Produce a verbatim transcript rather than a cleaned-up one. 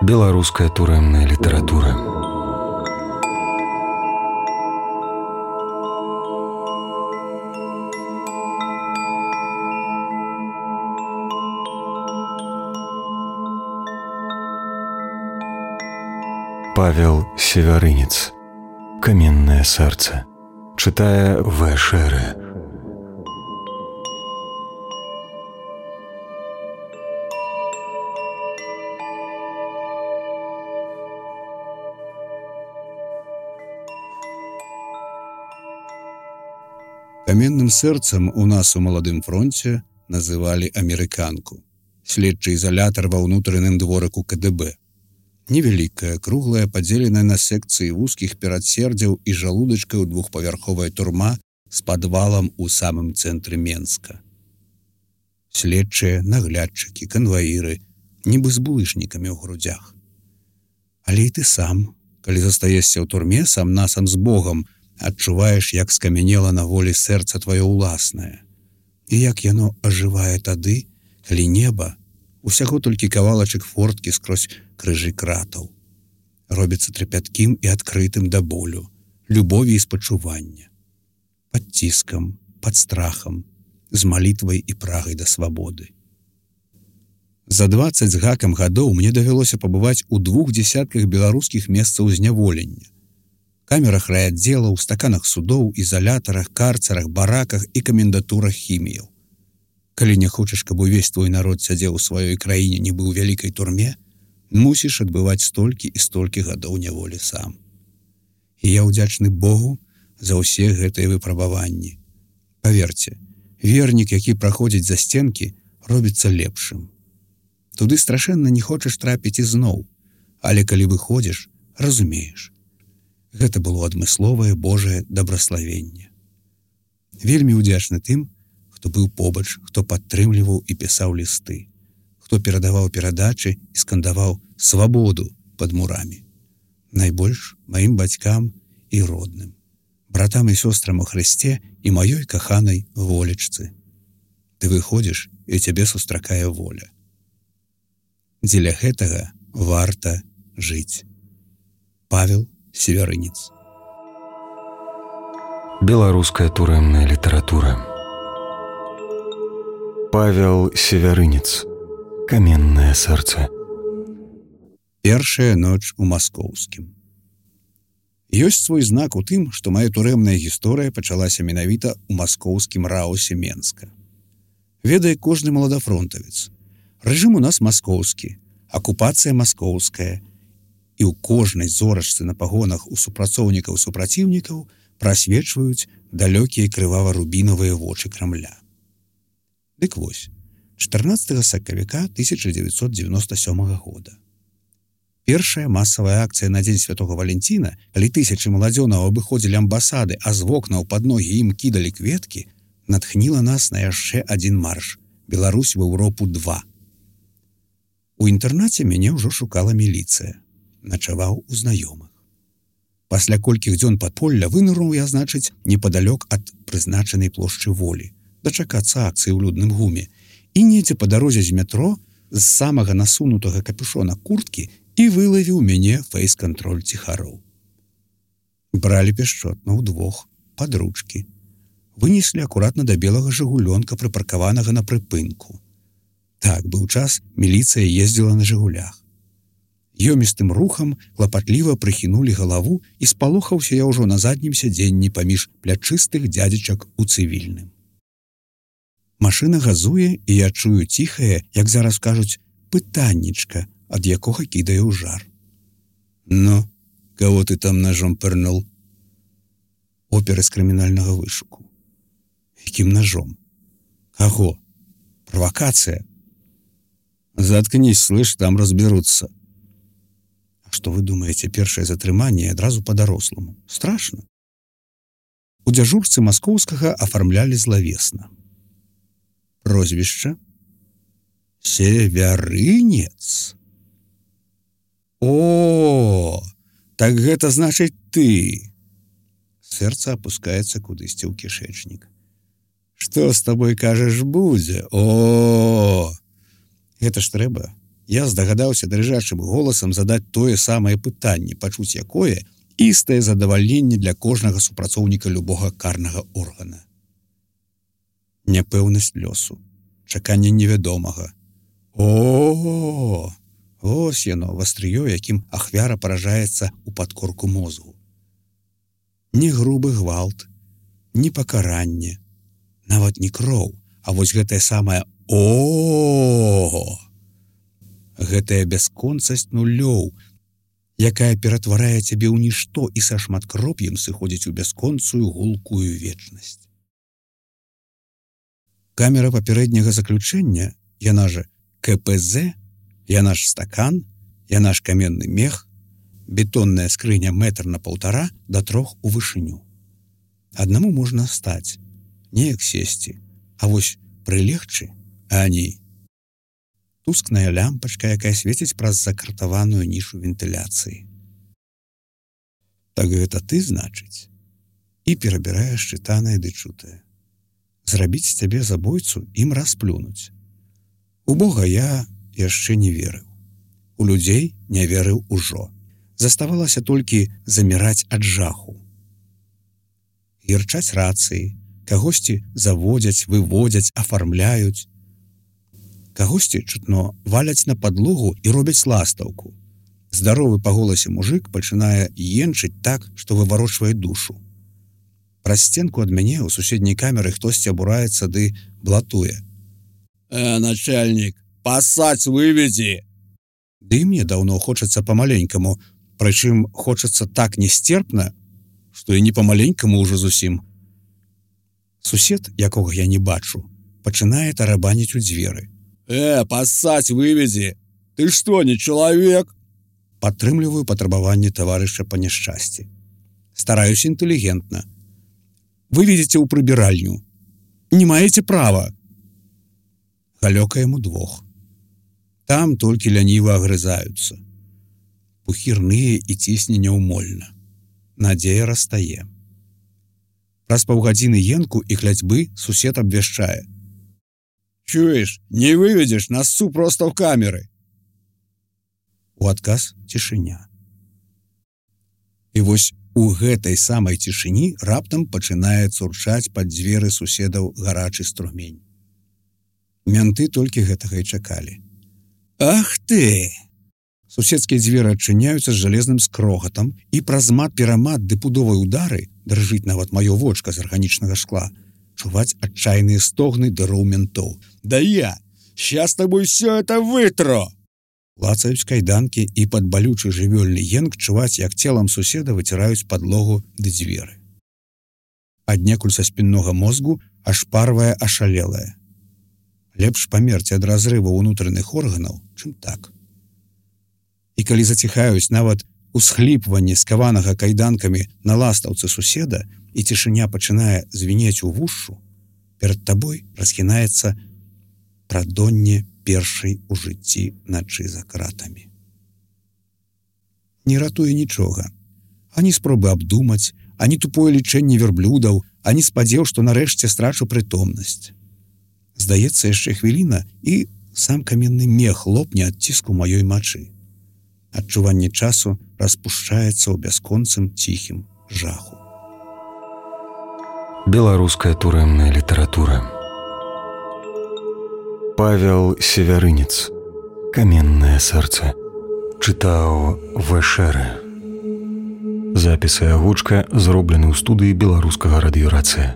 Беларуская турэмная літаратура. Павел Севярынец. Каменное сердце. Читая В. Шеры. Каменным сэрцам у нас у маладым фронце называлі амерыканку, следчы ізалятар ва ўнутраным дворыку ка дэ бэ. Невялікая, круглая, падзеленая на секцыі вузкіх перадсердзяў і жалудачкаў двухпавярховая турма з падвалам у самым цэнтры Менска. Следчыя, наглядчыкі, канваіры, нібы з булышнікамі ў грудзях. Але і ты сам, калі застаешся ў турме сам-насам з Богам, адчуваеш, як скамянела на волі сэрца тваё ўласнае. І як яно ажывае тады, калі неба, усяго толькі кавалачак форткі скрозь крыжы кратаў, робіцца трапяткім і адкрытым да болю, любові і спачування, пад ціскам, пад страхам, з малітвай і прагай да свабоды. За дваццаць з гакам гадоў мне давялося пабываць у двух дзесятках беларускіх месцаў зняволення, камерах райаддзелаў, стаканах судоў, ізалятарах, карцарах, бараках і камендатурах хіміяў. Калі не хочаш, каб увесь твой народ сядзеў у сваёй краіне, нібы ў вялікай турме, мусіш адбываць столькі і столькі гадоў няволі сам. І я ўдзячны Богу за ўсе гэтыя выпрабаванні. Паверце, вернік, які праходзіць за стенкі, робіцца лепшым. Туды страшэнна не хочаш трапіць ізноў, але калі выходзіш, разумееш. Гэта было адмысловае Божае дабраславенне. Вельмі ўдзячны тым, хто быў побач, хто падтрымліваў і пісаў лісты, хто перадаваў перадачы і скандаваў свабоду пад мурамі. Найбольш маім бацькам і родным, братам і сёстрам у Хрысце і маёй каханай волечцы. Ты выходзіш, і цябе сустракае воля. Дзеля гэтага варта жыць. Павел Севярынец. Беларуская турэмная літаратура. Павел Севярынец. Каменное сердце. Першая ноч у маскоўскім. Ёсць свой знак у тым, што мая турэмная гісторыя пачалася менавіта ў маскоўскім раусе Менска. Ведае кожны маладафронтавец. Рэжым у нас маскоўскі, акупацыя маскоўская, і ў кожнай зорачцы на пагонах у супрацоўнікаў супраціўнікаў прасвечваюць далёкія крывава-рубінавыя вочы Крамля. Дык вось, чатырнаццатага сакавіка тысяча дзевяцьсот дзевяноста сёмага года. Першая масавая акцыя на дзень святога Валянціна, калі тысячы маладзёнаў абыходзілі амбасады, а з вокнаў пад ногі ім кідалі кветкі, натхніла нас на яшчэ адзін марш «Беларусь в Еўропу два». У інтэрнаце мяне ўжо шукала міліцыя. Начаваў у знаёмых. Пасля колькіх дзён падполля вынырнуў я, значыць, непадалёк ад прызначанай плошчы Волі, дачакацца акцыі ў людным гуме, і недзе па дарозе з метро з самага насунутага капюшона курткі і вылавіў мяне фэйс-кантроль ціхароў. Бралі пяшчотна ўдвох, пад ручкі. Вынеслі акуратна да белага жыгулёнка, прыпаркаванага на прыпынку. Так, быў час, міліцыя ездзіла на жыгулях. Ёмістым рухам клапатліва прыхінулі галаву і спалохаўся я ўжо на заднім сядзенні паміж плячыстых дзядзечак у цывільным. Машына газуе, і я чую ціхае, як зараз кажуць, пытаннічка, ад якога кідае ў жар. «Ну, кого ты там ножом пырнул?» Опер з крымінальнага вышуку. «Якім ножом? Каго? Провокация?» «Заткнись, слышь, там разберутся». А што вы думаеце, першае затрыманне адразу па-даросламу? Страшна. У дзяжурцы маскоўскага афармлялі злавесна. Прозвішча? Севярынец. О, так гэта значыць ты. Сэрца апускаецца кудысьці ў кішэчнік. Што з табой, кажаш, будзе? О, гэта ж трэба. Я здагадаўся дрыжачым голасам задаць тое самае пытанне, пачуць якое істае задавальненне для кожнага супрацоўніка любога карнага органа. Няпэўнасць лёсу, чаканне невядомага. О, ось яно, вастрыё, якім ахвяра паражаецца ў падкорку мозгу. Не грубы гвалт, не пакаранне, нават не кроў, а вось гэтае самае о, гэтая бясконцасць нулёў, якая ператварае цябе ў нішто і са шматкроп'ем сыходзіць у бясконцую гулкую вечнасць. Камера папярэдняга заключэння, яна же ка пэ зэ, яна ж стакан, яна ж каменны мех, бетонная скрыня метр на паўтара да трох у вышыню. Аднаму можна стаць, неяк сесці, а вось прылегчы, а не. Тускная лямпачка, якая свеціць праз закартаваную нішу вентыляцыі. Так гэта ты, значыць, і перабіраеш чытанае ды чутае. Зрабіць з цябе забойцу ім расплюнуць. У Бога я яшчэ не верыў. У людзей не верыў ужо. Заставалася толькі заміраць ад жаху. Гірчаць рацыі, кагосьці заводзяць, выводзяць, афармляюць. Кагосьці чутно валяць на падлогу і робяць ластаўку. Здаровы па голасе мужык пачынае енчыць так, што выварочвае душу. Праз сценку ад мяне ў суседняй камеры хтосьці абураецца ды блатуе. «Э, начальнік, пасаць выведзі!» Ды мне даўно хочацца памаленькаму, прычым хочацца так несцерпна, што і не памаленькаму ўжо зусім. Сусед, якога я не бачу, пачынае тарабаніць у дзверы. «Э, пасаць выведзі! Ты што, не чалавек?» Падтрымліваю патрабаванне таварыша па няшчасці. Стараюся інтэлігентна. «Выведзіце ў прыбіральню. Не маеце права!» Галёкаем удвох. Там толькі ляніва агрызаюцца. Пухірныя і цісне няўмольна. Надзея растае. Праз паўгадзіны енку і кляцьбы сусед абвяшчае. «Чуеш, не выведзеш, насцу проста ў камеры!» У адказ цішыня. І вось у гэтай самай цішыні раптам пачынае цурчаць пад дзверы суседаў гарачы струмень. Мянты толькі гэтага і чакалі. «Ах ты!» Суседскія дзверы адчыняюцца з жалезным скрогатам, і праз мат-перамат ды пудовай удары, дрыжыць нават маё вочка з арганічнага шкла, чуваць адчайныя стогны дыроў ментоў. «Да я! Щас тобой все это вытру!» Лацаюць кайданкі, і пад балючы жывёльны енк чуваць, як целам суседа выціраюць падлогу ды дзверы. Аднекуль са спіннога мозгу ашпарвае ашалелае. Лепш памерці ад разрыву ўнутраных органаў, чым так. І калі заціхаюць нават усхліпванне скаванага кайданкамі на ластаўцы суседа і цішыня пачынае звінець у вушшу, перад табой расхінаецца прадонне першай у жыцці начы за кратамі. Не ратуе нічога. Ані спробы абдумаць, ані тупое лічэнне верблюдаў, ані спадзеў, што нарэшце страчу прытомнасць. Здаецца, яшчэ хвіліна, і сам каменны мех лопне ад ціску маёй мачы. Адчуванне часу распушчаецца ў бясконцым ціхім жаху. Беларуская турэмная літаратура. Павел Севярынец. Каменнае сэрца. Чытаў Вэшэрэ. Запіс і агучка зроблены ў студыі беларускага радыёрацыя.